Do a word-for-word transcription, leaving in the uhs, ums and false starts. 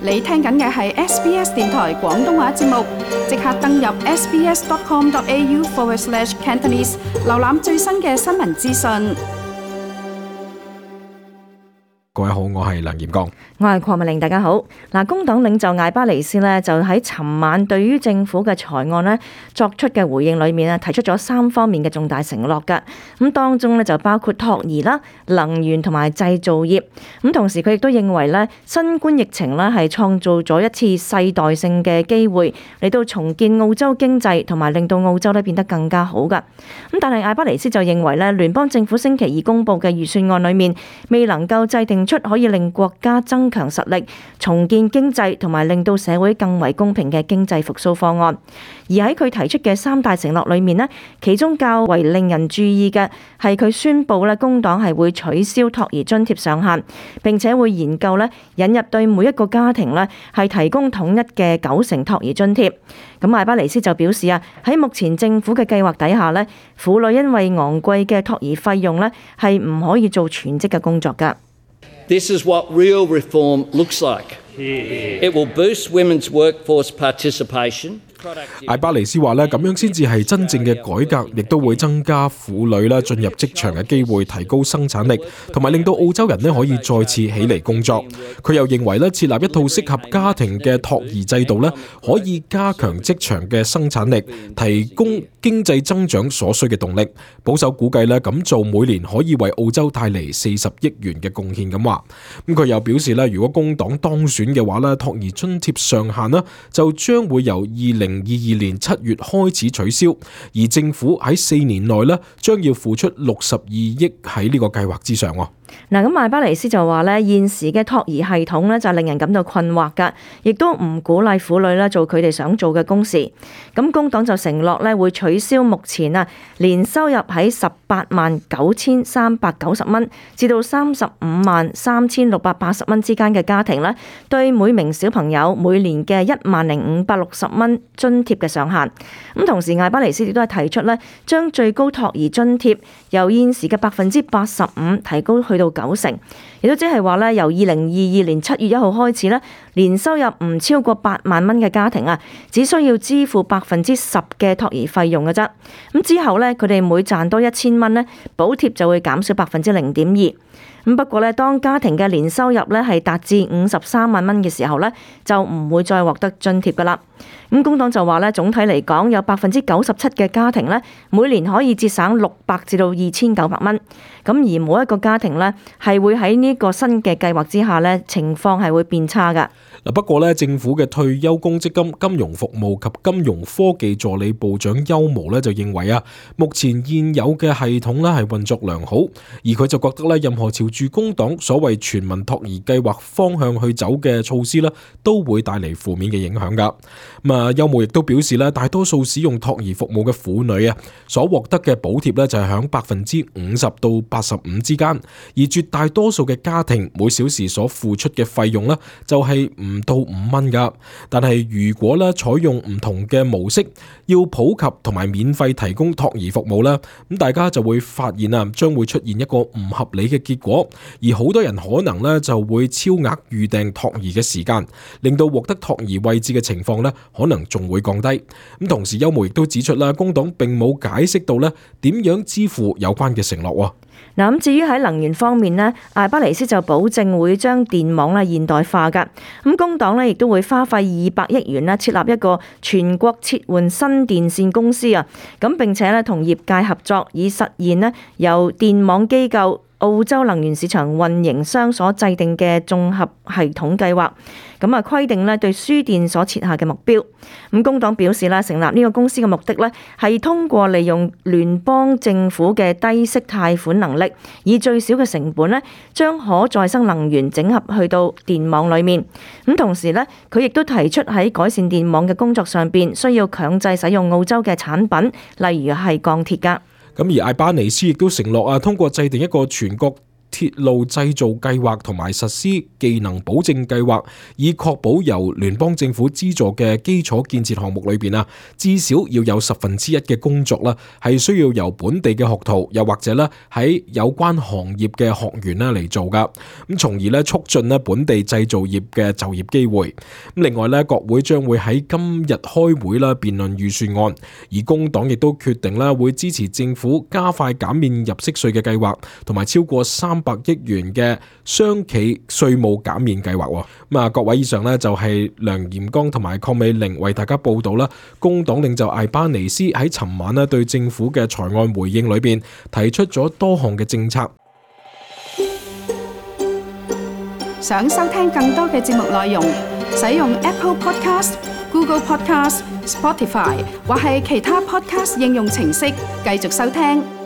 你聽緊嘅係 S B S 電台廣東話節目，即刻登入 sbs.com.au forward slash Cantonese， 瀏覽最新嘅新聞資訊。各位好，我係梁炎剛，我係鄺美玲，大家好。嗱，工黨領袖艾巴尼斯呢，就喺尋晚對於政府嘅財案呢作出嘅回應裏面呢，提出咗三方面嘅重大承諾㗎。咁當中呢，就包括托兒啦、能源同埋製造業。咁同時佢亦都認為呢，新冠疫情呢係創造咗一次世代性嘅機會嚟到重建澳洲經濟，同埋令到澳洲呢變得更加好㗎。咁但係艾巴尼斯就認為呢，聯邦政府星期二公布嘅預算案裏面未能夠制定出可以令國家增強實力、重建經濟同埋令到社會更為公平嘅經濟復甦方案。而喺佢提出嘅三大承諾裏面呢，其中較為令人注意嘅係佢宣布咧，工黨係會取消托兒津貼上限，並且會研究咧引入對每一個家庭咧係提供統一嘅九成托兒津貼。咁艾巴尼斯就表示啊，喺目前政府嘅計劃底下咧，婦女因為昂貴嘅托兒費用咧係唔可以做全職嘅工作㗎。This is what real reform looks like. It will boost women's workforce participation. 艾巴尼斯話咧，咁樣先至係真正嘅改革，亦都會增加婦女咧進入職場嘅機會，提高生產力，同埋令到澳洲人咧可以再次起嚟工作。佢又認為咧，設立一套適合家庭嘅托兒制度咧，可以加強職場嘅生產力，提供經濟增長所需嘅動力。保守估計咧，咁做每年可以為澳洲帶嚟四十億元嘅貢獻咁話。咁佢又表示咧，如果工黨當選嘅話咧，托兒津貼上限咧就將會由二零二二年七月開始取消，而政府喺四年內咧將要付出六十二億喺呢個計劃之上。嗱，咁艾巴尼斯就話咧，現時嘅托兒系統咧就令人感到困惑㗎，亦都唔鼓勵婦女咧做佢哋想做嘅工時。咁工黨就承諾咧會取消目前啊年收入喺十八萬九千三百九十蚊至到三十五萬三千六百八十蚊之間嘅家庭咧，對每名小朋友每年嘅一萬零五百六十蚊津貼嘅上限。咁同時艾巴尼斯亦都係提出咧，將最高托兒津貼由現時嘅百分之八十五提高去到九成，亦都即係話咧，由二零二二年七月一號開始咧，年收入唔超過八萬蚊嘅家庭啊，只需要支付百分之十嘅托兒費用嘅啫。咁之後咧，佢哋每賺多一千蚊咧，補貼就會減少百分之零點二。咁不過咧，當家庭嘅年收入咧係達至五十三萬蚊嘅時候咧，就唔會再獲得津貼噶啦。咁工黨就話咧，總體嚟講有百分之九十七嘅家庭咧，每年可以節省六百至到二千九百蚊。咁而每一個家庭咧，係會喺呢個新嘅計劃之下咧，情況係會變差噶。嗱，不過咧，政府嘅退休公積金金融服務及金融科技助理部長邱無咧就認為啊，目前現有嘅系統咧係運作良好，而佢就覺得咧，任何朝住工黨所謂全民托兒計劃方向去走嘅措施咧，都會帶嚟負面嘅影響噶。咁啊，邱無亦都表示咧，大多數使用托兒服務嘅婦女啊，所獲得嘅補貼咧就係響百分之五十到八十五之間，而絕大多數嘅家庭每小時所付出嘅費用咧就係唔到五蚊噶。但係如果咧採用唔同嘅模式，要普及同埋免費提供托兒服務咧，咁大家就會發現啊，將會出現一個唔合理嘅結果，而好多人可能咧就會超額預訂托兒嘅時間，令到獲得托兒位置嘅情況咧可能仲會降低。咁同時邱無亦都指出啦，工黨並冇解釋到咧點樣支付有關嘅承諾。嗱，咁至於喺能源方面呢，艾巴尼斯就保證會將電網咧現代化㗎。咁工黨咧亦都會花費二百億元咧設立一個全國切換新電線公司啊。咁並且咧同業界合作，以實現咧由電網機構、澳洲能源市場運營商所制定嘅綜合系統計劃，咁啊規定咧對輸電所設下嘅目標。咁工黨表示啦，成立呢個公司嘅目的咧係通過利用聯邦政府嘅低息貸款能力，以最少嘅成本咧將可再生能源整合去到電網裡面。咁同時咧，佢亦都提出喺改善電網嘅工作上邊，需要強制使用澳洲嘅產品，例如係鋼鐵㗎。咁而艾巴尼斯亦都承諾啊，通過制定一個全國鐵路製造計劃同埋實施技能保證計劃，以確保由聯邦政府資助嘅基礎建設項目裏邊啊，至少要有十分之一嘅工作啦，係需要由本地嘅學徒，又或者咧喺有關行業嘅學員咧嚟做噶，咁從而咧促進咧本地製造業嘅就業機會。咁另外咧，國會將會喺今日開會啦辯論預算案，而工黨亦都決定咧會支持政府加快減免入息稅嘅計劃，同埋超過三百億元嘅商企稅務減免計劃。咁啊，各位，以上呢就係梁嚴剛同埋鄺美玲為大家報道啦。工黨領袖艾巴尼斯喺尋晚咧對政府嘅財案回應裏邊提出咗多項嘅政策。想收聽更多嘅節目內容，使用 Apple Podcast、Google Podcast、Spotify 或係其他 Podcast 應用程式繼續收聽。